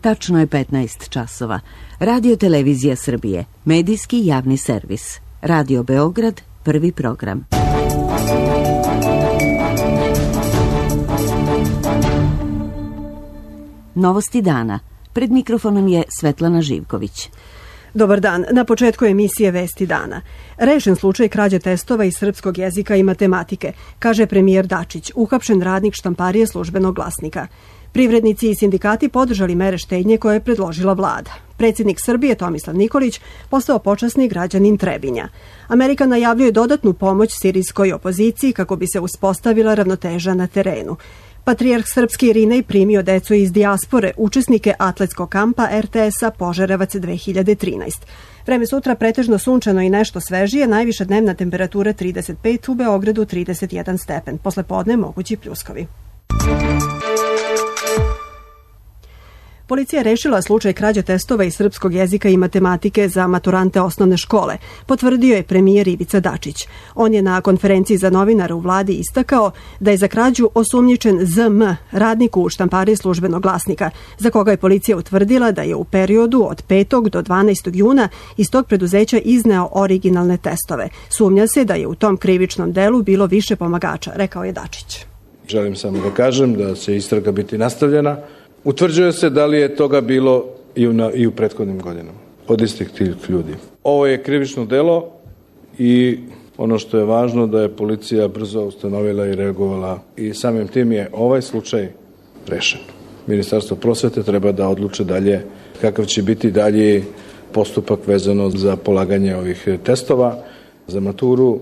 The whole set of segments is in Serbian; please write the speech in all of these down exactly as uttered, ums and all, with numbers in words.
Tačno je petnaest časova. Radio Televizija Srbije, medijski javni servis. Radio Beograd, prvi program. Novosti dana. Pred mikrofonom je Svetlana Živković. Dobar dan. Na početku emisije Vesti dana. Rešen slučaj krađe testova iz srpskog jezika i matematike, kaže premijer Dačić, uhapšen radnik štamparije Službenog glasnika. Privrednici i sindikati podržali mere štednje koje je predložila vlada. Predsjednik Srbije Tomislav Nikolić postao počasni građanin Trebinja. Amerika najavljuje dodatnu pomoć sirijskoj opoziciji kako bi se uspostavila ravnoteža na terenu. Patrijarh srpski Irinej primio decu iz dijaspore, učesnike atletskog kampa er te es a Požarevac dve hiljade trinaeste. Vreme sutra pretežno sunčano i nešto svežije, najviša dnevna temperatura trideset pet, u Beogradu trideset jedan stepen. Posle podne mogući pljuskovi. Policija je rešila slučaj krađe testova iz srpskog jezika i matematike za maturante osnovne škole, potvrdio je premijer Ivica Dačić. On je na konferenciji za novinare u vladi istakao da je za krađu osumnjičen zet em, radnik u štampariji Službenog glasnika, za koga je policija utvrdila da je u periodu od petog do dvanaestog juna iz tog preduzeća izneo originalne testove. Sumnja se da je u tom krivičnom delu bilo više pomagača, rekao je Dačić. Želim samo da kažem da će istraga biti nastavljena. Utvrđuje se da li je toga bilo i u, i u prethodnim godinama od istih tih ljudi. Ovo je krivično delo i ono što je važno da je policija brzo ustanovila i reagovala i samim tim je ovaj slučaj rešen. Ministarstvo prosvete treba da odluče dalje kakav će biti dalji postupak vezano za polaganje ovih testova za maturu.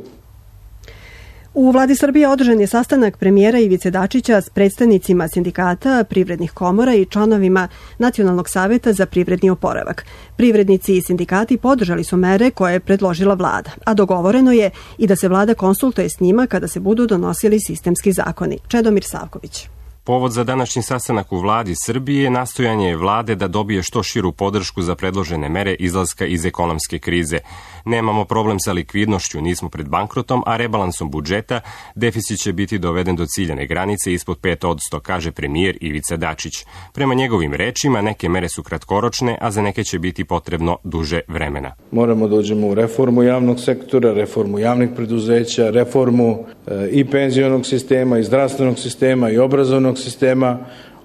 U vladi Srbije održan je sastanak premijera Ivice Dačića s predstavnicima sindikata, privrednih komora i članovima Nacionalnog saveta za privredni oporavak. Privrednici i sindikati podržali su mere koje je predložila vlada, a dogovoreno je i da se vlada konsultuje s njima kada se budu donosili sistemski zakoni. Čedomir Savković. Povod za današnji sastanak u vladi Srbije nastojanje je vlade da dobije što širu podršku za predložene mere izlaska iz ekonomske krize. Nemamo problem sa likvidnošću, nismo pred bankrotom, a rebalansom budžeta deficit će biti doveden do ciljane granice ispod pet posto, kaže premijer Ivica Dačić. Prema njegovim rečima, neke mere su kratkoročne, a za neke će biti potrebno duže vremena. Moramo da uđemo u reformu javnog sektora, reformu javnih preduzeća, reformu e, i penzionog sistema, i zdravstvenog sistema, i obrazovnog sistema.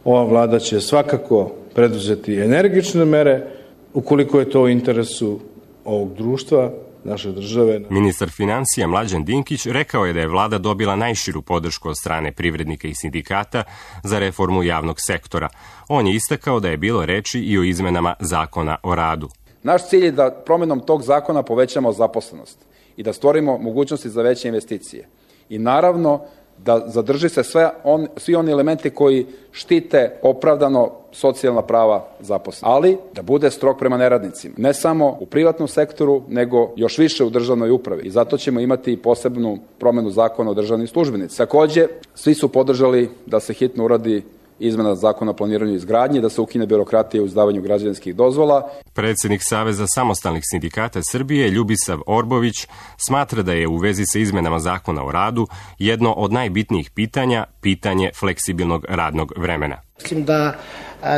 Ova vlada će svakako preduzeti energične mere ukoliko je to u interesu ovog društva, naše države. Ministar financija Mlađan Dinkić rekao je da je vlada dobila najširu podršku od strane privrednika i sindikata za reformu javnog sektora. On je istakao da je bilo reči i o izmenama zakona o radu. Naš cilj je da promjenom tog zakona povećamo zaposlenost i da stvorimo mogućnosti za veće investicije. I naravno da zadrži se sve on, svi oni elementi koji štite opravdano socijalna prava zaposlenih, ali da bude strog prema neradnicima. Ne samo u privatnom sektoru, nego još više u državnoj upravi. I zato ćemo imati posebnu promjenu zakona o državnim službenicima. Takođe, svi su podržali da se hitno uradi izmena zakona o planiranju i izgradnji, da se ukine birokratija u izdavanju građevinskih dozvola. Predsjednik Saveza samostalnih sindikata Srbije, Ljubisav Orbović, smatra da je u vezi sa izmenama zakona o radu jedno od najbitnijih pitanja, pitanje fleksibilnog radnog vremena. Mislim da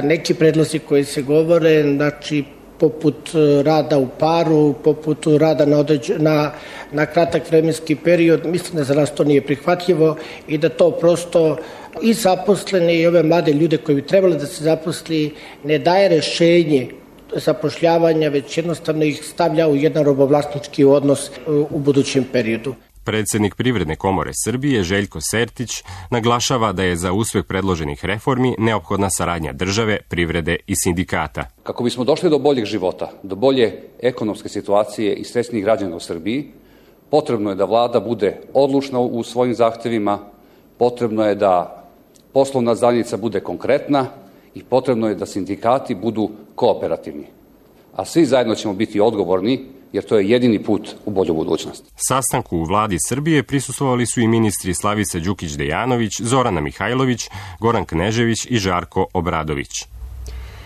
neki predlozi koji se govore, znači poput rada u paru, poput rada na, određ, na, na kratak vremenski period, mislim da za nas to nije prihvatljivo i da to prosto i zaposlene i ove mlade ljude koji bi trebali da se zaposli ne daje rešenje zapošljavanja, već jednostavno ih stavlja u jedan robovlasnički odnos u budućem periodu. Predsjednik Privredne komore Srbije Željko Sertić naglašava da je za uspeh predloženih reformi neophodna saradnja države, privrede i sindikata. Kako bismo došli do boljeg života, do bolje ekonomske situacije i srećnih građana u Srbiji, potrebno je da vlada bude odlučna u svojim zahtevima, potrebno je da poslovna zajednica bude konkretna i potrebno je da sindikati budu kooperativni. A svi zajedno ćemo biti odgovorni, jer to je jedini put u bolju budućnost. Sastanku u vladi Srbije prisustvovali su i ministri Slavica Đukić Dejanović, Zorana Mihajlović, Goran Knežević i Žarko Obradović.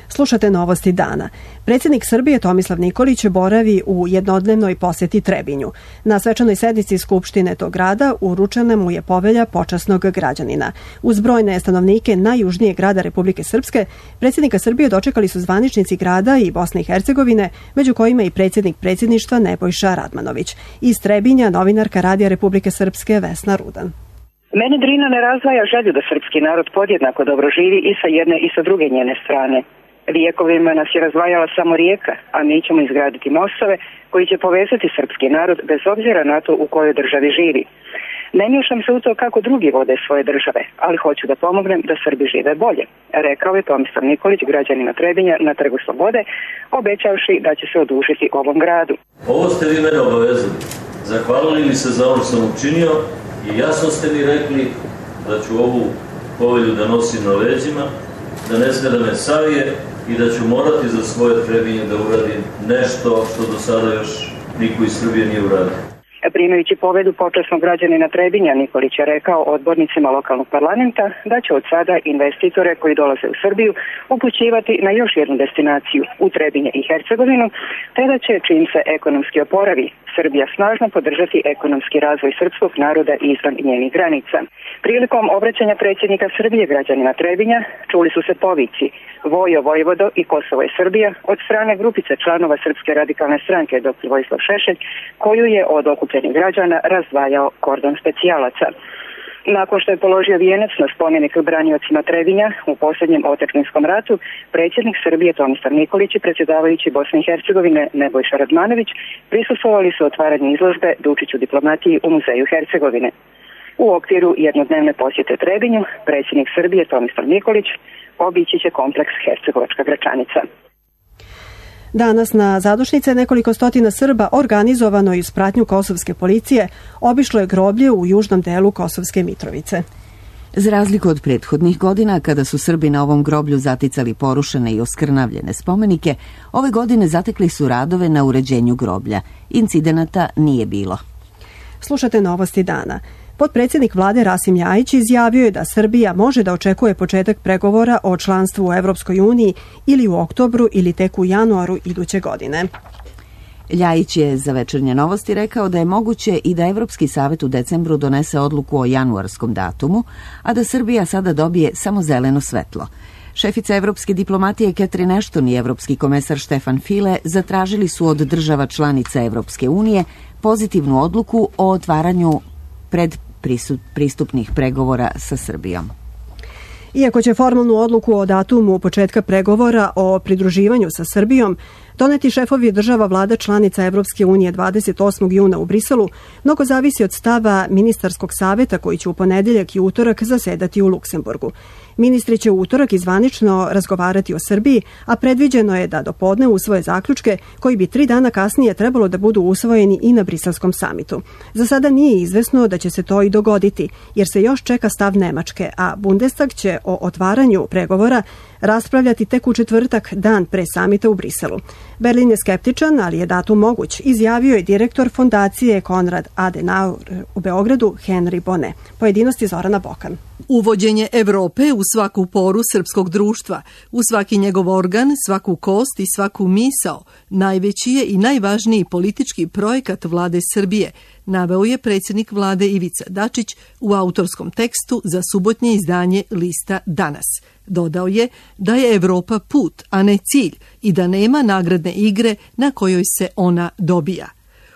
Slušate novosti dana. Predsjednik Srbije Tomislav Nikolić boravi u jednodnevnoj posjeti Trebinju. Na svečanoj sednici Skupštine tog grada uručena mu je povelja počasnog građanina. Uz brojne stanovnike najjužnijeg grada Republike Srpske, predsjednika Srbije dočekali su zvaničnici grada i Bosne i Hercegovine, među kojima i predsjednik predsjedništva Nebojša Radmanović. Iz Trebinja novinarka Radija Republike Srpske Vesna Rudan. Mene Drina ne razdvaja želju da srpski narod podjednako dobro živi i sa jedne i sa druge njene strane. Vijekovima nas je razdvajala samo rijeka, a mi ćemo izgraditi mostove koji će povezati srpski narod bez obzira na to u kojoj državi živi. Ne miješam se u to kako drugi vode svoje države, ali hoću da pomognem da Srbi žive bolje, rekao je Tomislav Nikolić građanima Trebinja na Trgu Slobode, obećavši da će se odužiti ovom gradu. Ovo ste vi mene obavezali. Zahvalili mi se za ono što sam učinio i jasno ste mi rekli da ću ovu povelju da nosim na leđima, da ne sme da me savije i da ću morati za svoje Trebinje da uradim nešto što do sada još niko iz Srbije nije uradio. Primajući povedu počasnog građanina Trebinja, Nikolić je rekao odbornicima lokalnog parlamenta da će od sada investitore koji dolaze u Srbiju upućivati na još jednu destinaciju u Trebinje i Hercegovinu, te da će, čim se ekonomski oporavi, Srbija snažno podržati ekonomski razvoj srpskog naroda izvan njenih granica. Prilikom obraćanja predsjednika Srbije građanima Trebinja čuli su se povici Vojo Vojvodo i Kosovo je Srbija od strane grupice članova Srpske radikalne stranke doktor Vojislav Šešelj, koju je od okupljenih građana razdvajao kordon specijalaca. Nakon što je položio vijenac na spomenik braniocima Trebinja u posljednjem otadžbinskom ratu, predsjednik Srbije Tomislav Nikolić i predsjedavajući Bosne i Hercegovine Nebojša Radmanović prisustvovali su otvaranju izložbe Dučić u diplomatiji u Muzeju Hercegovine. U okviru jednodnevne posjete Trebinju, predsjednik Srbije Tomislav Nikolić obići će kompleks Hercegovačka Gračanica. Danas na zadušnice nekoliko stotina Srba organizovano i uz pratnju kosovske policije obišlo je groblje u južnom delu Kosovske Mitrovice. Za razliku od prethodnih godina, kada su Srbi na ovom groblju zaticali porušene i oskrnavljene spomenike, ove godine zatekli su radove na uređenju groblja. Incidenata nije bilo. Slušate novosti dana. Potpredsjednik vlade Rasim Ljajić izjavio je da Srbija može da očekuje početak pregovora o članstvu u Evropskoj uniji ili u oktobru ili tek u januaru iduće godine. Ljajić je za Večernje novosti rekao da je moguće i da Evropski savet u decembru donese odluku o januarskom datumu, a da Srbija sada dobije samo zeleno svetlo. Šefica evropske diplomatije Catherine Ashton i evropski komesar Stefan Füle zatražili su od država članica Evropske unije pozitivnu odluku o otvaranju pred pristupnih pregovora sa Srbijom. Iako će formalnu odluku o datumu početka pregovora o pridruživanju sa Srbijom doneti šefovi država vlada članica Evropske unije dvadeset osmog juna u Briselu, mnogo zavisi od stava ministarskog saveta koji će u ponedeljak i utorak zasedati u Luksemburgu. Ministri će u utorak izvanično razgovarati o Srbiji, a predviđeno je da dopodne usvoje zaključke koji bi tri dana kasnije trebalo da budu usvojeni i na briselskom samitu. Za sada nije izvesno da će se to i dogoditi, jer se još čeka stav Nemačke, a Bundestag će o otvaranju pregovora raspravljati tek u četvrtak, dan pre samita u Briselu. Berlin je skeptičan, ali je datum moguć, izjavio je direktor fondacije Konrad Adenauer u Beogradu Henry Bonnet. Pojedinosti Zorana Bokan. Uvođenje Evrope u svaku poru srpskog društva, u svaki njegov organ, svaku kost i svaku misao, najveći je i najvažniji politički projekat vlade Srbije, naveo je predsjednik vlade Ivica Dačić u autorskom tekstu za subotnje izdanje lista Danas. Dodao je da je Evropa put, a ne cilj i da nema nagradne igre na kojoj se ona dobija.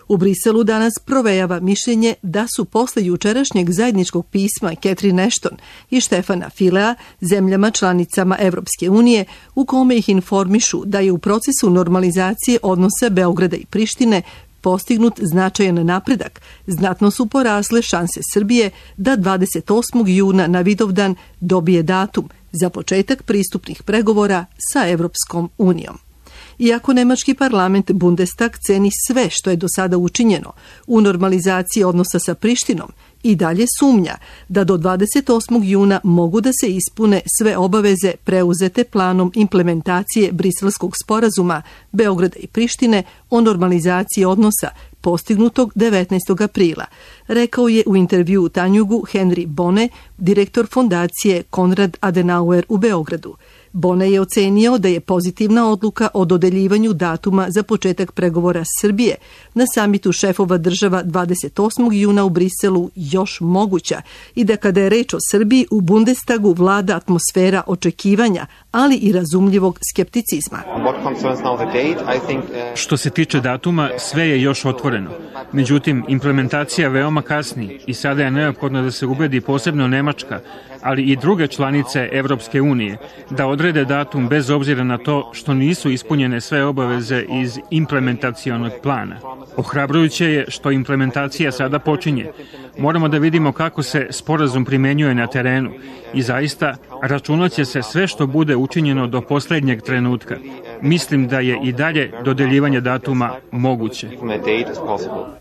U Briselu danas provejava mišljenje da su posle jučerašnjeg zajedničkog pisma Catherine Ashton i Stefana Fülea zemljama članicama Evropske unije, u kome ih informišu da je u procesu normalizacije odnosa Beograda i Prištine postignut značajan napredak, znatno su porasle šanse Srbije da dvadeset osmog juna na Vidovdan dobije datum za početak pristupnih pregovora sa Evropskom unijom. Iako nemački parlament Bundestag ceni sve što je do sada učinjeno u normalizaciji odnosa sa Prištinom, i dalje sumnja da do dvadeset osmog juna mogu da se ispune sve obaveze preuzete planom implementacije Briselskog sporazuma Beograda i Prištine o normalizaciji odnosa postignutog devetnaestog aprila, rekao je u intervjuu Tanjugu Henry Bone, direktor fondacije Konrad Adenauer u Beogradu. Bone je ocenio da je pozitivna odluka o dodeljivanju datuma za početak pregovora Srbije na samitu šefova država dvadeset osmog juna u Briselu još moguća i da kada je reč o Srbiji u Bundestagu vlada atmosfera očekivanja, ali i razumljivog skepticizma. Što se tiče datuma, sve je još otvoreno. Međutim, implementacija veoma kasni i sada je neophodno da se ubedi posebno Nemačka, ali i druge članice Evropske unije, da odrede datum bez obzira na to što nisu ispunjene sve obaveze iz implementacionog plana. Ohrabrujuće je što implementacija sada počinje. Moramo da vidimo kako se sporazum primenjuje na terenu i zaista računaće se sve što bude učinjeno do poslednjeg trenutka. Mislim da je i dalje dodeljivanje datuma moguće.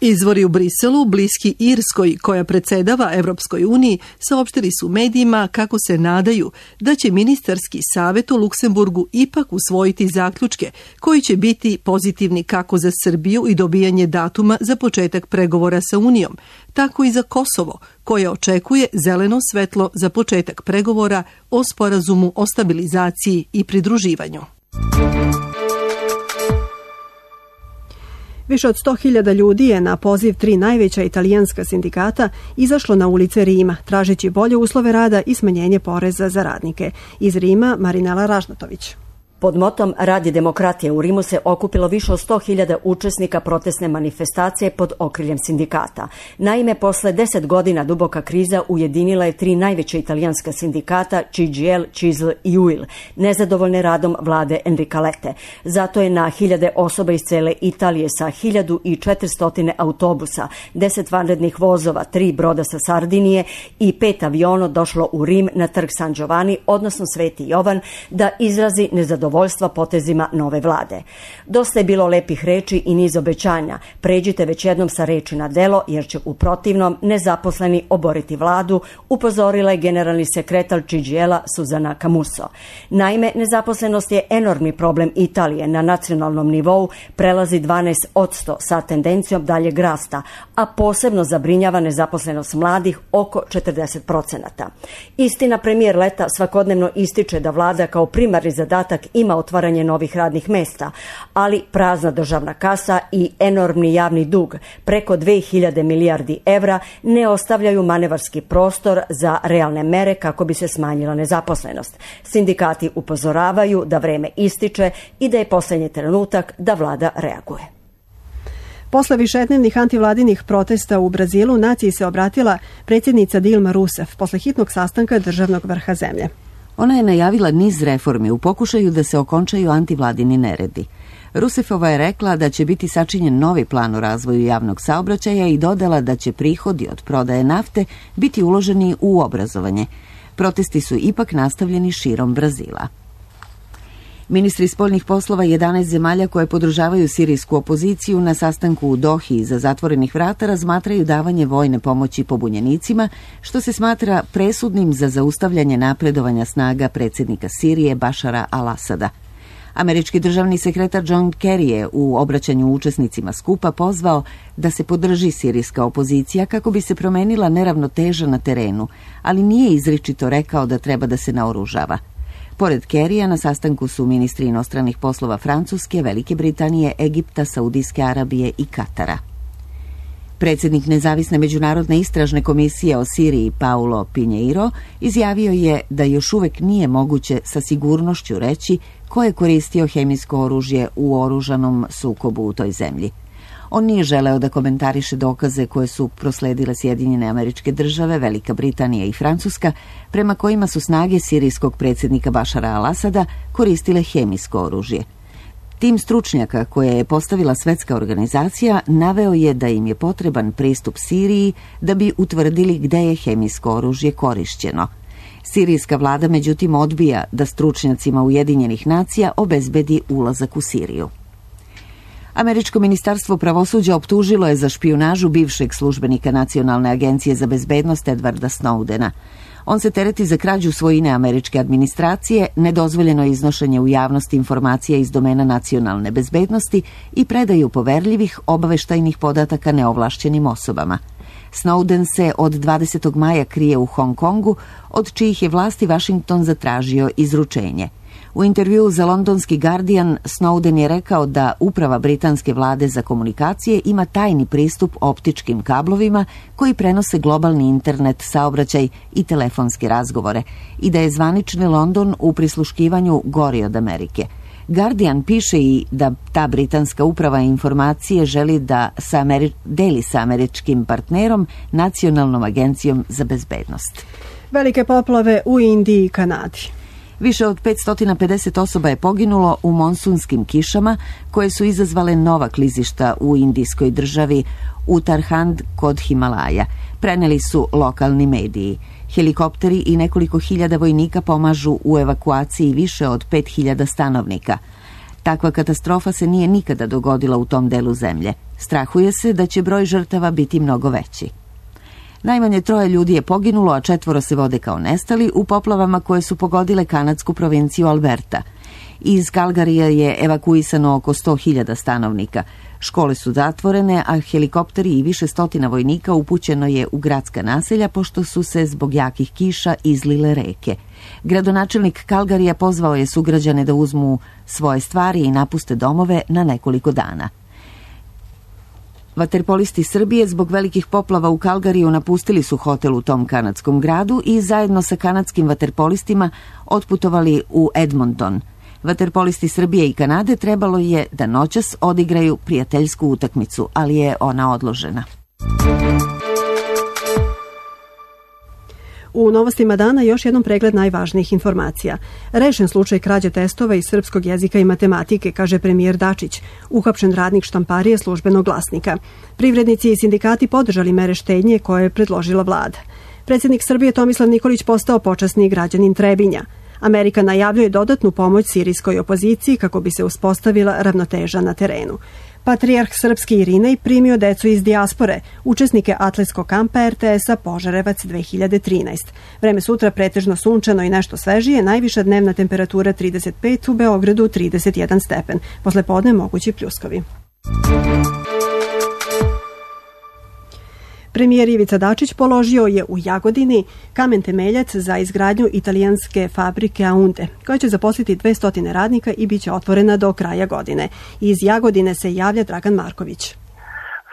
Izvori u Briselu, bliski Irskoj, koja predsedava Evropskoj uniji, saopštili su medijima kako se nadaju da će ministarski savet u Luksemburgu ipak usvojiti zaključke koji će biti pozitivni kako za Srbiju i dobijanje datuma za početak pregovora sa Unijom, tako i za Kosovo, koje očekuje zeleno svetlo za početak pregovora o sporazumu o stabilizaciji i pridruživanju. Više od sto hiljada ljudi je na poziv tri najveća italijanska sindikata izašlo na ulice Rima, tražeći bolje uslove rada i smanjenje poreza za radnike. Iz Rima, Marinela Ražnatović. Pod motom Radi demokratije u Rimu se okupilo više od sto hiljada učesnika protestne manifestacije pod okriljem sindikata. Naime, posle deset godina duboka kriza ujedinila je tri najveća italijanska sindikata C G I L, C I S L i U I L, nezadovoljne radom vlade Enrica Lette. Zato je na hiljade osoba iz cele Italije sa hiljadu četiristo autobusa, deset vanrednih vozova, tri broda sa Sardinije i pet aviona došlo u Rim na trg San Giovanni, odnosno Sveti Jovan, da izrazi nezadovoljstvo voljstva potezima nove vlade. Dosta je bilo lepih reči i niz obećanja. Pređite već jednom sa reči na delo, jer će u protivnom nezaposleni oboriti vladu, upozorila je generalni sekretar C G I L-a Suzana Camuso. Naime, nezaposlenost je enormni problem Italije. Na nacionalnom nivou prelazi dvanaest posto sa tendencijom daljeg rasta, a posebno zabrinjava nezaposlenost mladih oko četrdeset procenata. Istina, premijer Letta svakodnevno ističe da vlada kao primarni zadatak ima otvaranje novih radnih mesta, ali prazna državna kasa i enormni javni dug, preko dve hiljade milijardi evra, ne ostavljaju manevarski prostor za realne mere kako bi se smanjila nezaposlenost. Sindikati upozoravaju da vreme ističe i da je poslednji trenutak da vlada reaguje. Posle višednevnih antivladinih protesta u Brazilu naciji se obratila predsjednica Dilma Rousseff posle hitnog sastanka državnog vrha zemlje. Ona je najavila niz reformi u pokušaju da se okončaju antivladini neredi. Rusefova je rekla da će biti sačinjen novi plan o razvoju javnog saobraćaja i dodala da će prihodi od prodaje nafte biti uloženi u obrazovanje. Protesti su ipak nastavljeni širom Brazila. Ministri spoljnih poslova jedanaest zemalja koje podržavaju sirijsku opoziciju na sastanku u Dohi iza zatvorenih vrata razmatraju davanje vojne pomoći pobunjenicima, što se smatra presudnim za zaustavljanje napredovanja snaga predsjednika Sirije Bašara al-Asada. Američki državni sekretar John Kerry je u obraćanju učesnicima skupa pozvao da se podrži sirijska opozicija kako bi se promenila neravnoteža na terenu, ali nije izričito rekao da treba da se naoružava. Pored Kerrya na sastanku su ministri inostranih poslova Francuske, Velike Britanije, Egipta, Saudijske Arabije i Katara. Predsjednik Nezavisne međunarodne istražne komisije o Siriji Paulo Pinheiro izjavio je da još uvek nije moguće sa sigurnošću reći ko je koristio hemijsko oružje u oružanom sukobu u toj zemlji. On nije želeo da komentariše dokaze koje su prosledile Sjedinjene Američke Države, Velika Britanija i Francuska, prema kojima su snage sirijskog predsjednika Bašara al-Asada koristile hemijsko oružje. Tim stručnjaka koje je postavila Svetska organizacija naveo je da im je potreban pristup Siriji da bi utvrdili gde je hemijsko oružje korišćeno. Sirijska vlada međutim odbija da stručnjacima Ujedinjenih nacija obezbedi ulazak u Siriju. Američko ministarstvo pravosuđa optužilo je za špijunažu bivšeg službenika Nacionalne agencije za bezbednost Edwarda Snowdena. On se tereti za krađu svojine američke administracije, nedozvoljeno iznošenje u javnosti informacija iz domena nacionalne bezbednosti i predaju poverljivih obaveštajnih podataka neovlašćenim osobama. Snowden se od dvadesetog maja krije u Hong Kongu, od čijih je vlasti Washington zatražio izručenje. U intervjuu za londonski Guardian, Snowden je rekao da uprava britanske vlade za komunikacije ima tajni pristup optičkim kablovima koji prenose globalni internet, saobraćaj i telefonske razgovore i da je zvanični London u prisluškivanju gori od Amerike. Guardian piše i da ta britanska uprava informacije želi da sa Ameri- deli sa američkim partnerom, Nacionalnom agencijom za bezbednost. Velike poplave u Indiji i Kanadi. Više od petsto pedeset osoba je poginulo u monsunskim kišama koje su izazvale nova klizišta u indijskoj državi Uttarakhand kod Himalaja, preneli su lokalni mediji. Helikopteri i nekoliko hiljada vojnika pomažu u evakuaciji više od pet hiljada stanovnika. Takva katastrofa se nije nikada dogodila u tom delu zemlje. Strahuje se da će broj žrtava biti mnogo veći. Najmanje troje ljudi je poginulo, a četvoro se vode kao nestali u poplavama koje su pogodile kanadsku provinciju Alberta. Iz Kalgarija je evakuisano oko sto hiljada stanovnika. Škole su zatvorene, a helikopteri i više stotina vojnika upućeno je u gradska naselja pošto su se zbog jakih kiša izlile reke. Gradonačelnik Kalgarija pozvao je sugrađane da uzmu svoje stvari i napuste domove na nekoliko dana. Vaterpolisti Srbije zbog velikih poplava u Kalgariju napustili su hotel u tom kanadskom gradu i zajedno sa kanadskim vaterpolistima otputovali u Edmonton. Vaterpolisti Srbije i Kanade trebalo je da noćas odigraju prijateljsku utakmicu, ali je ona odložena. U novostima dana još jednom pregled najvažnijih informacija. Rešen slučaj krađe testova iz srpskog jezika i matematike, kaže premijer Dačić. Uhapšen radnik štamparije Službenog glasnika. Privrednici i sindikati podržali mere štednje koje je predložila vlada. Predsjednik Srbije Tomislav Nikolić postao počasni građanin Trebinja. Amerika najavljuje dodatnu pomoć sirijskoj opoziciji kako bi se uspostavila ravnoteža na terenu. Patrijarh srpski Irinej primio decu iz dijaspore, učesnike atletskog kampa er te es-a Požarevac dve hiljade trinaeste. Vreme sutra pretežno sunčano i nešto svežije, najviša dnevna temperatura trideset pet, u Beogradu trideset jedan stepen. Posle podne mogući pljuskovi. Premijer Ivica Dačić položio je u Jagodini kamen temeljac za izgradnju italijanske fabrike Aunde, koja će zaposliti dvesta radnika i bit će otvorena do kraja godine. Iz Jagodine se javlja Dragan Marković.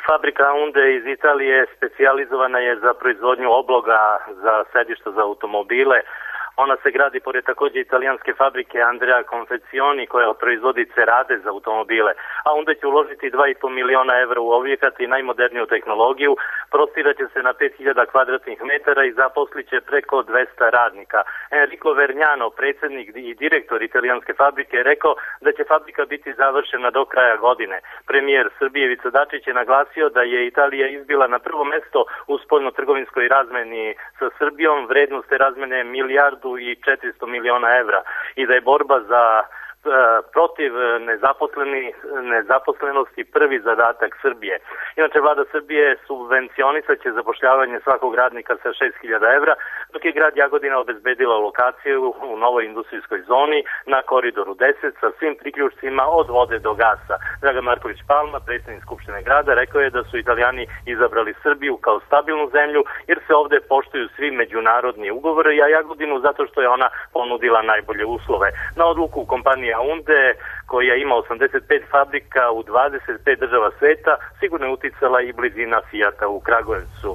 Fabrika Aunde iz Italije specijalizovana je za proizvodnju obloga za sedišta za automobile. Ona se gradi pored također italijanske fabrike Andrea Confezioni koja proizvodi cerade za automobile, a onda će uložiti dva i po miliona evra u objekat i najmoderniju tehnologiju, prostirat će se na pet hiljada kvadratnih metara i zaposlit će preko dvesta radnika. Enrico Vergnano, predsjednik i direktor italijanske fabrike, je rekao da će fabrika biti završena do kraja godine. Premijer Srbije Ivica Dačić je naglasio da je Italija izbila na prvo mesto u spoljno-trgovinskoj razmeni sa Srbijom, vrednost te razmene milijardu i četiristo miliona evra i da je borba za protiv nezaposlenosti prvi zadatak Srbije. Inače, vlada Srbije subvencionisat će zapošljavanje svakog radnika sa šest hiljada evra, dok je grad Jagodina obezbedila lokaciju u novoj industrijskoj zoni na koridoru deset sa svim priključcima od vode do gasa. Dragan Marković Palma, predsjednik Skupštine grada, rekao je da su Italijani izabrali Srbiju kao stabilnu zemlju jer se ovde poštuju svi međunarodni ugovori, a Jagodinu zato što je ona ponudila najbolje uslove. Na odluku kompanije Aunde, koja ima osamdeset pet fabrika u dvadeset pet država sveta, sigurno je uticala i blizina Fijata u Kragujevcu.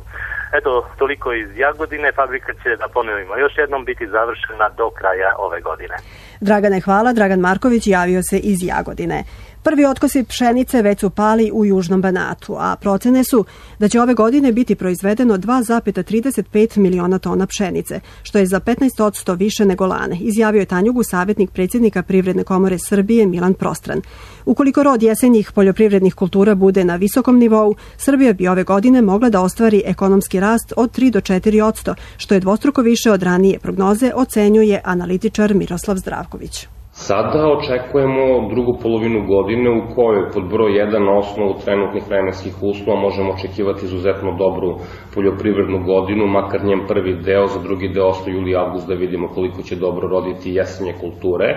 Eto, toliko iz Jagodine. Fabrika će, da ponovimo još jednom, biti završena do kraja ove godine. Dragane, hvala. Dragan Marković javio se iz Jagodine. Prvi otkosi pšenice već su pali u Južnom Banatu, a procene su da će ove godine biti proizvedeno dva zarez trideset pet miliona tona pšenice, što je za petnaest posto više nego lane, izjavio je Tanjugu savjetnik predsjednika Privredne komore Srbije Milan Prostran. Ukoliko rod jesenjih poljoprivrednih kultura bude na visokom nivou, Srbija bi ove godine mogla da ostvari ekonomski rast od tri do četiri posto, što je dvostruko više od ranije prognoze, ocenjuje analitičar Miroslav Zdravković. Sada očekujemo drugu polovinu godine u kojoj pod broj jedan na osnovu trenutnih vremenskih uslova možemo očekivati izuzetno dobru poljoprivrednu godinu, makar njen prvi deo, za drugi deo osto juli i avgust da vidimo koliko će dobro roditi jesenje kulture,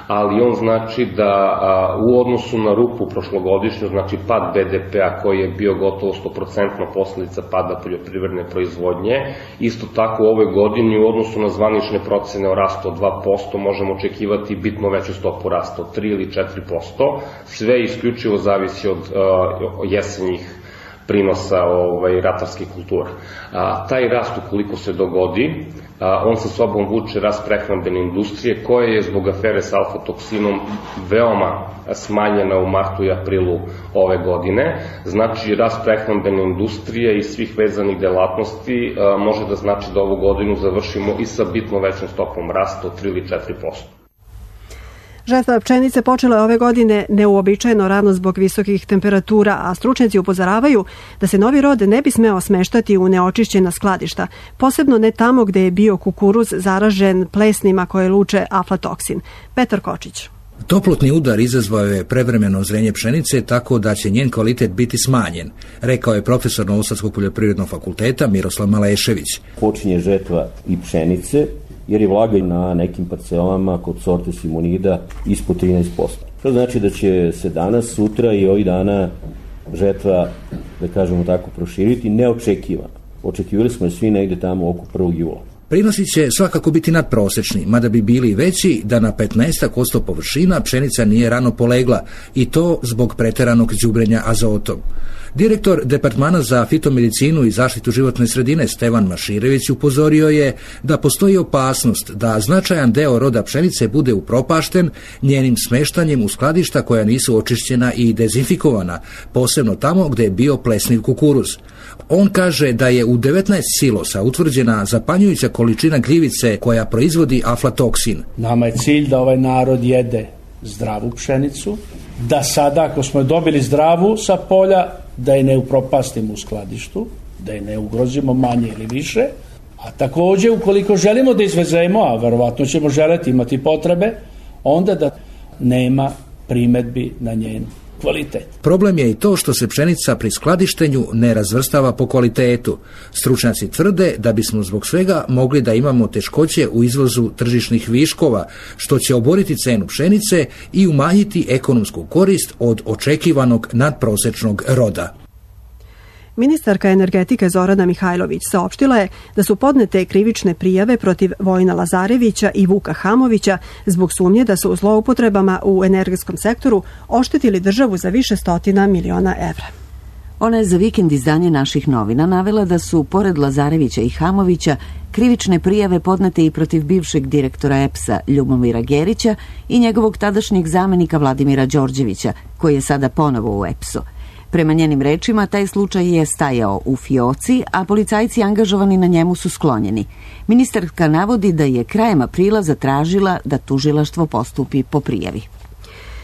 ali on znači da a, u odnosu na rupu prošlogodišnju, znači pad be de pe-a koji je bio gotovo sto posto posledica pada poljoprivredne proizvodnje, isto tako u ovoj godini u odnosu na zvanične procene o rastu od dva posto možemo očekivati bitno veću stopu rasta od tri ili četiri posto, sve isključivo zavisi od uh, jesenjih prinosa ovaj, ratarskih kultura. A, taj rast ukoliko se dogodi, a, on sa sobom vuče rast prehrambene industrije koja je zbog afere s alfa-toksinom veoma smanjena u martu i aprilu ove godine. Znači rast prehrambene industrije i svih vezanih delatnosti a, može da znači da ovu godinu završimo i sa bitno većom stopom rasta od tri ili četiri posto. Žetva pšenice počela je ove godine neuobičajeno rano zbog visokih temperatura, a stručnjaci upozoravaju da se novi rod ne bi smeo smeštati u neočišćena skladišta, posebno ne tamo gde je bio kukuruz zaražen plesnima koje luče aflatoksin. Petar Kočić. Toplotni udar izazvao je prevremeno zrenje pšenice tako da će njen kvalitet biti smanjen, rekao je profesor Novosadskog poljoprivrednog fakulteta Miroslav Malešević. Počinje žetva i pšenice jer je vlaga na nekim parcelama kod sorte Simonida ispod trinaest posto. To znači da će se danas, sutra i ovih dana žetva, da kažemo tako, proširiti neočekivano. Očekivali smo svi negde tamo oko prvog jula. Prinosi će svakako biti nadprosečni, mada bi bili veći da na petnaest posto površina pšenica nije rano polegla i to zbog preteranog đubrenja azotom. Direktor Departmana za fitomedicinu i zaštitu životne sredine Stevan Maširević upozorio je da postoji opasnost da značajan deo roda pšenice bude upropašten njenim smeštanjem u skladišta koja nisu očišćena i dezinfikovana, posebno tamo gde je bio plesniv kukuruz. On kaže da je u devetnaest silosa utvrđena zapanjujuća količina gljivice koja proizvodi aflatoksin. Nama je cilj da ovaj narod jede zdravu pšenicu, da sada ako smo dobili zdravu sa polja, da je ne upropastimo u skladištu, da je ne ugrozimo manje ili više, a takođe ukoliko želimo da izvezemo, a verovatno ćemo želeti imati potrebe, onda da nema primetbi na njen kvalitet. Problem je i to što se pšenica pri skladištenju ne razvrstava po kvalitetu. Stručnjaci tvrde da bismo zbog svega mogli da imamo teškoće u izvozu tržišnih viškova, što će oboriti cenu pšenice i umanjiti ekonomsku korist od očekivanog nadprosečnog roda. Ministarka energetike Zorana Mihajlović saopštila je da su podnete krivične prijave protiv Vojina Lazarevića i Vuka Hamovića zbog sumnje da su zloupotrebama u energetskom sektoru oštetili državu za više stotina miliona evra. Ona je za vikend izdanje naših novina navela da su, pored Lazarevića i Hamovića, krivične prijave podnete i protiv bivšeg direktora E P S-a Ljubomira Gerića i njegovog tadašnjeg zamenika Vladimira Đorđevića, koji je sada ponovo u E P S-u. Prema njenim rečima, taj slučaj je stajao u fioci, a policajci angažovani na njemu su sklonjeni. Ministarka navodi da je krajem aprila zatražila da tužilaštvo postupi po prijavi.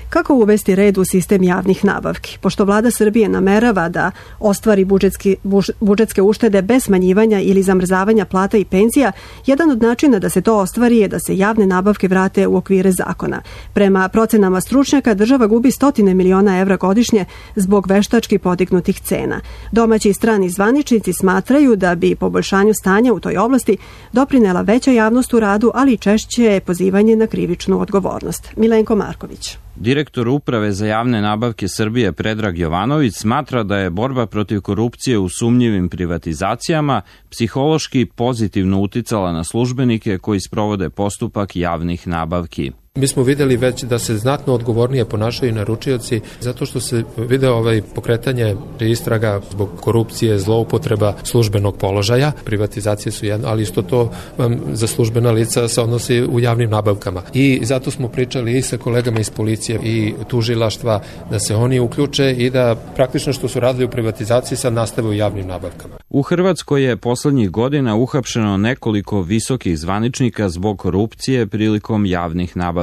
Kako uvesti red u sistem javnih nabavki? Pošto vlada Srbije namerava da ostvari budžetski, buž, budžetske uštede bez smanjivanja ili zamrzavanja plata i penzija, jedan od načina da se to ostvari je da se javne nabavke vrate u okvire zakona. Prema procenama stručnjaka, država gubi stotine miliona evra godišnje zbog veštački podignutih cena. Domaći i strani zvaničnici smatraju da bi poboljšanju stanja u toj oblasti doprinela veća javnost u radu, ali i češće pozivanje na krivičnu odgovornost. Milenko Marković. Direktor Uprave za javne nabavke Srbije Predrag Jovanović smatra da je borba protiv korupcije u sumnjivim privatizacijama psihološki pozitivno uticala na službenike koji sprovode postupak javnih nabavki. Mi smo videli već da se znatno odgovornije ponašaju naručioci zato što se video ovaj pokretanje istraga zbog korupcije, zloupotreba službenog položaja. Privatizacije su jedno, ali isto to um, za službena lica se odnosi u javnim nabavkama. I zato smo pričali i sa kolegama iz policije i tužilaštva da se oni uključe i da praktično što su radili u privatizaciji sad nastave u javnim nabavkama. U Hrvatskoj je poslednjih godina uhapšeno nekoliko visokih zvaničnika zbog korupcije prilikom javnih nabavki.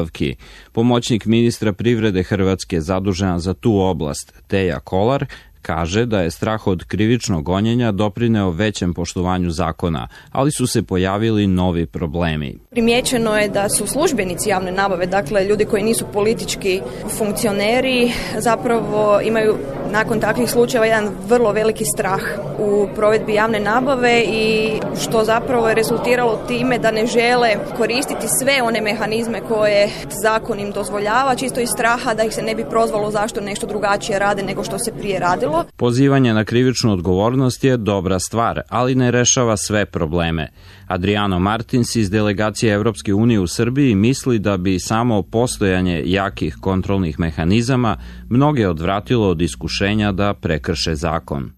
Pomoćnik ministra privrede Hrvatske zadužena za tu oblast, Teja Kolar, Kaže da je strah od krivičnog gonjenja doprineo većem poštovanju zakona, ali su se pojavili novi problemi. Primijećeno je da su službenici javne nabave, dakle ljudi koji nisu politički funkcioneri, zapravo imaju nakon takvih slučajeva jedan vrlo veliki strah u provedbi javne nabave i što zapravo je rezultiralo time da ne žele koristiti sve one mehanizme koje zakon im dozvoljava, čisto iz straha da ih se ne bi prozvalo zašto nešto drugačije rade nego što se prije radilo. Pozivanje na krivičnu odgovornost je dobra stvar, ali ne rešava sve probleme. Adriano Martins iz delegacije Evropske unije u Srbiji misli da bi samo postojanje jakih kontrolnih mehanizama mnoge odvratilo od iskušenja da prekrše zakon.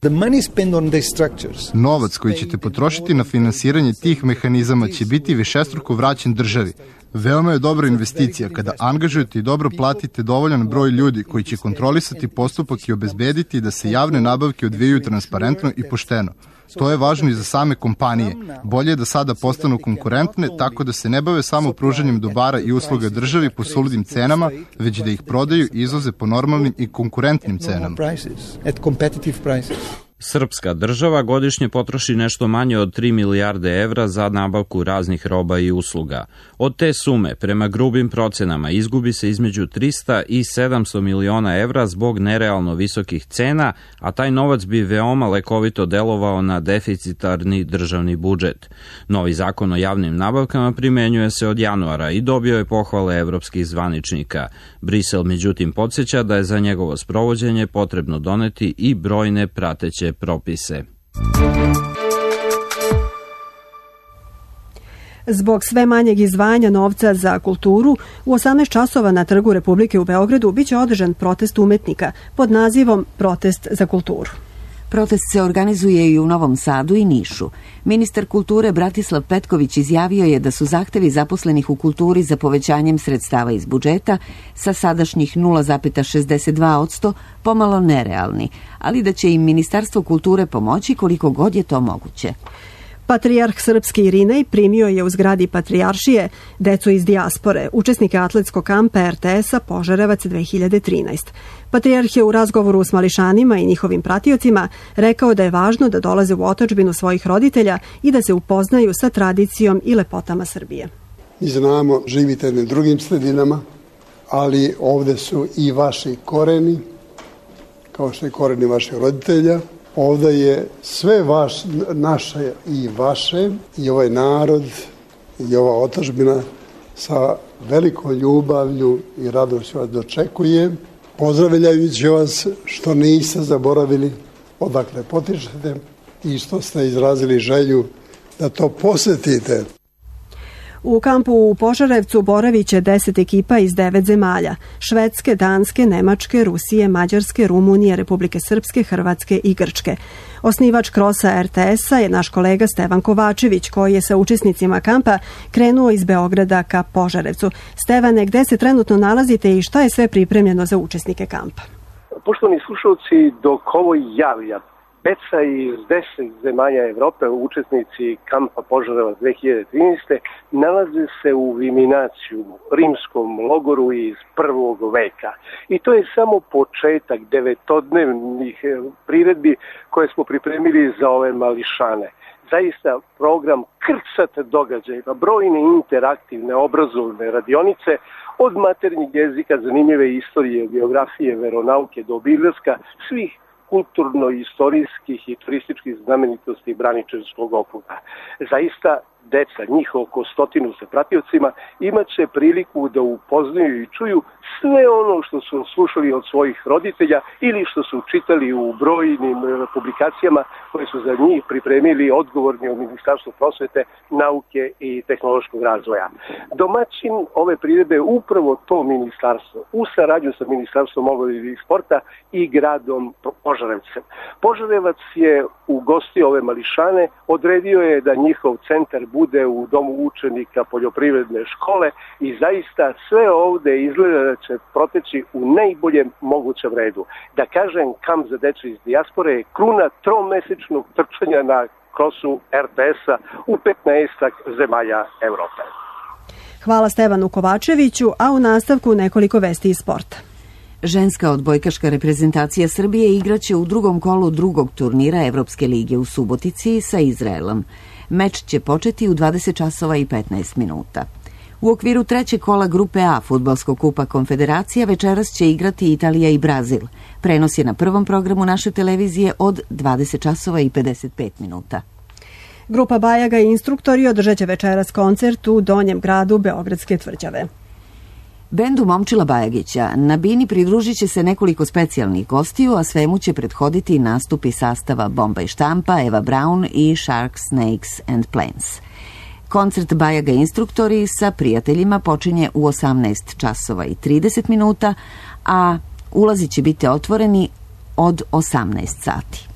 Novac koji ćete potrošiti na finansiranje tih mehanizama će biti višestruko vraćen državi. Veoma je dobra investicija kada angažujete i dobro platite dovoljan broj ljudi koji će kontrolisati postupak i obezbediti da se javne nabavke odvijaju transparentno i pošteno. To je važno i za same kompanije. Bolje je da sada postanu konkurentne tako da se ne bave samo pružanjem dobara i usluga državi po suludim cenama, već da ih prodaju i izvoze po normalnim i konkurentnim cenama. Srpska država godišnje potroši nešto manje od tri milijarde evra za nabavku raznih roba i usluga. Od te sume, prema grubim procenama, izgubi se između trista i sedamsto miliona evra zbog nerealno visokih cena, a taj novac bi veoma lekovito delovao na deficitarni državni budžet. Novi zakon o javnim nabavkama primenjuje se od januara i dobio je pohvale evropskih zvaničnika. Brisel međutim podsjeća da je za njegovo sprovođenje potrebno doneti i brojne prateće propise. Zbog sve manjeg izdvajanja novca za kulturu, u osamnaest časova na Trgu Republike u Beogradu biće održan protest umetnika pod nazivom Protest za kulturu. Protest se organizuje i u Novom Sadu i Nišu. Ministar kulture Bratislav Petković izjavio je da su zahtevi zaposlenih u kulturi za povećanjem sredstava iz budžeta sa sadašnjih nula zarez šezdeset dva posto pomalo nerealni, ali da će im Ministarstvo kulture pomoći koliko god je to moguće. Patrijarh srpski Irinej primio je u zgradi Patrijaršije decu iz dijaspore, učesnike atletskog kampa er te es-a Požarevac dve hiljade trinaeste. Patrijarh je u razgovoru s mališanima i njihovim pratiocima rekao da je važno da dolaze u otadžbinu svojih roditelja i da se upoznaju sa tradicijom i lepotama Srbije. Mi znamo, živite na drugim sredinama, ali ovde su i vaši koreni, kao što je koreni vaših roditelja. Ovde je sve vaš, naše i vaše, i ovaj narod i ova otadžbina sa velikom ljubavlju i radošću vas dočekuje, pozdravljajući vas što niste zaboravili odakle potičete i što ste izrazili želju da to posetite. U kampu u Požarevcu boravit će deset ekipa iz devet zemalja: Švedske, Danske, Nemačke, Rusije, Mađarske, Rumunije, Republike Srpske, Hrvatske i Grčke. Osnivač krosa er te es-a je naš kolega Stevan Kovačević, koji je sa učesnicima kampa krenuo iz Beograda ka Požarevcu. Stevane, gde se trenutno nalazite i šta je sve pripremljeno za učesnike kampa? Poštovani slušalci, dok ovo javlja Peca iz deset zemalja Evrope, učesnici kampa Požarevac dve hiljade trinaeste, nalaze se u Viminaciju, rimskom logoru iz prvog veka. I to je samo početak devetodnevnih priredbi koje smo pripremili za ove mališane. Zaista program krcat događaja, brojne interaktivne obrazovne radionice, od maternjeg jezika, zanimljive istorije, geografije, veronauke do obilaska svih kulturno-istorijskih i turističkih znamenitosti Braničevskog okruga. Zaista, deca, njih oko stotinu sa pratiocima, imat će priliku da upoznaju i čuju sve ono što su slušali od svojih roditelja ili što su čitali u brojnim publikacijama koje su za njih pripremili odgovorni od Ministarstva prosvete, nauke i tehnološkog razvoja. Domaćin ove priredbe je upravo to ministarstvo, u saradnju sa Ministarstvom omladine i sporta i gradom Požarevcem. Požarevac je ugostio ove mališane, odredio je da njihov centar bude u domu učenika poljoprivredne škole i zaista sve ovde izgleda da će proteći u najboljem mogućem redu. Da kažem, kamp za decu iz dijaspore je kruna tromesečnog trčanja na krosu er te es-a u petnaestak zemalja Evrope. Hvala Stevanu Kovačeviću, a u nastavku nekoliko vesti iz sporta. Ženska odbojkaška reprezentacija Srbije igraće u drugom kolu drugog turnira Evropske lige u Subotici sa Izraelom. Meč će početi u dvadeset časova i petnaest minuta. U okviru trećeg kola Grupe A Fudbalskog kupa Konfederacija večeras će igrati Italija i Brazil. Prenos je na prvom programu naše televizije od dvadeset časova i pedeset pet minuta. Grupa Bajaga i instruktori održat će večeras koncert u Donjem gradu Beogradske tvrđave. Bendu Momčila Bajagića na bini pridružit će se nekoliko specijalnih gostiju, a svemu će prethoditi nastupi sastava Bomba i štampa, Eva Braun i Sharks, Snakes and Planes. Koncert Bajaga instruktori sa prijateljima počinje u osamnaest časova i trideset minuta, a ulazi će biti otvoreni od osamnaest sati.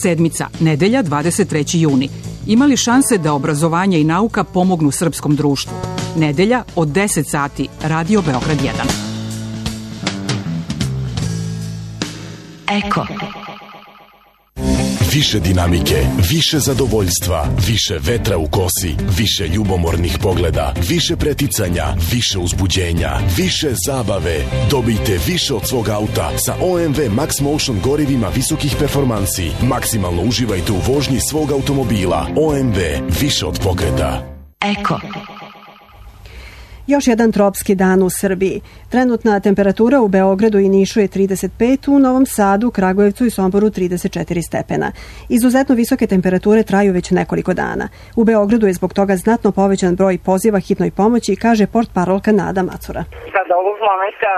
Sedmica, nedelja, dvadeset treći juni. Ima li šanse da obrazovanje i nauka pomognu srpskom društvu? Nedelja od deset sati, Radio Beograd jedan. Eko. Više dinamike, više zadovoljstva, više vetra u kosi, više ljubomornih pogleda, više preticanja, više uzbuđenja, više zabave. Dobijte više od svog auta sa O M V Max Motion gorivima visokih performansi. Maksimalno uživajte u vožnji svog automobila. O M V, više od pokreta. Eko. Još jedan tropski dan u Srbiji. Trenutna temperatura u Beogradu i Nišu je trideset pet, u Novom Sadu, Kragujevcu i Somboru trideset četiri stepena. Izuzetno visoke temperature traju već nekoliko dana. U Beogradu je zbog toga znatno povećan broj poziva hitnoj pomoći, kaže portparolka Nada Macura. Sada ovog momenta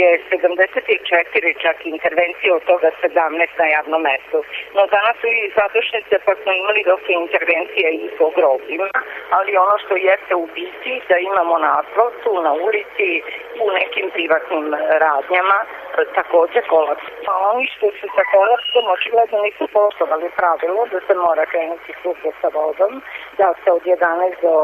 je sedamdeset četiri čak intervencije, od toga sedamnaest na javnom mestu. No danas su i zadušnice, pa smo imali dosta intervencija i po grobljima, ali ono što jeste u biti da imamo na asfaltu, na ulici, u nekim privatnim radnjama, takođe kolaps. A oni što su sa kolapsom očigledno nisu poštovali pravilo da se mora krenuti svugdje sa vodom, da se od jedanaest do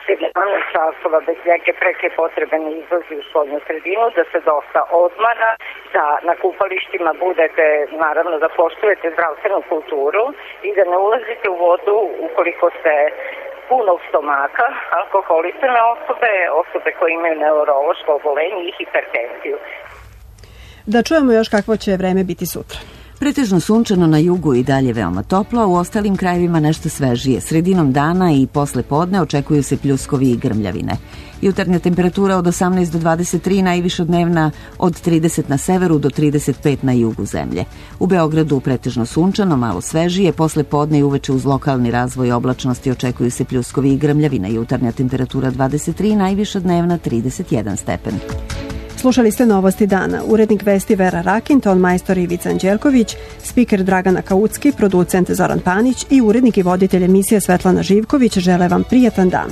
sedamnaest časova bez neke preke potrebe ne izlazi u spoljnu sredinu, da se dosta odmara, da na kupalištima budete, naravno da poštujete zdravstvenu kulturu i da ne ulazite u vodu ukoliko ste punog stomaka, alkoholisane osobe, osobe koje imaju neurološko obolenje i hipertenziju. Da čujemo još kakvo će vreme biti sutra. Pretežno sunčano na jugu i dalje veoma toplo, a u ostalim krajevima nešto svežije. Sredinom dana i posle podne očekuju se pljuskovi i grmljavine. Jutarnja temperatura od osamnaest do dvadeset tri, najviša dnevna od trideset na severu do trideset pet na jugu zemlje. U Beogradu pretežno sunčano, malo svežije, posle podne i uveče uz lokalni razvoj oblačnosti očekuju se pljuskovi i grmljavine. Jutarnja temperatura dvadeset tri, najviša dnevna trideset jedan stepen. Slušali ste Novosti dana. Urednik vesti Vera Rakin, ton majstor Ivica Anđelković, spiker Dragana Kaucki, producent Zoran Panić i urednik i voditelj emisije Svetlana Živković žele vam prijatan dan.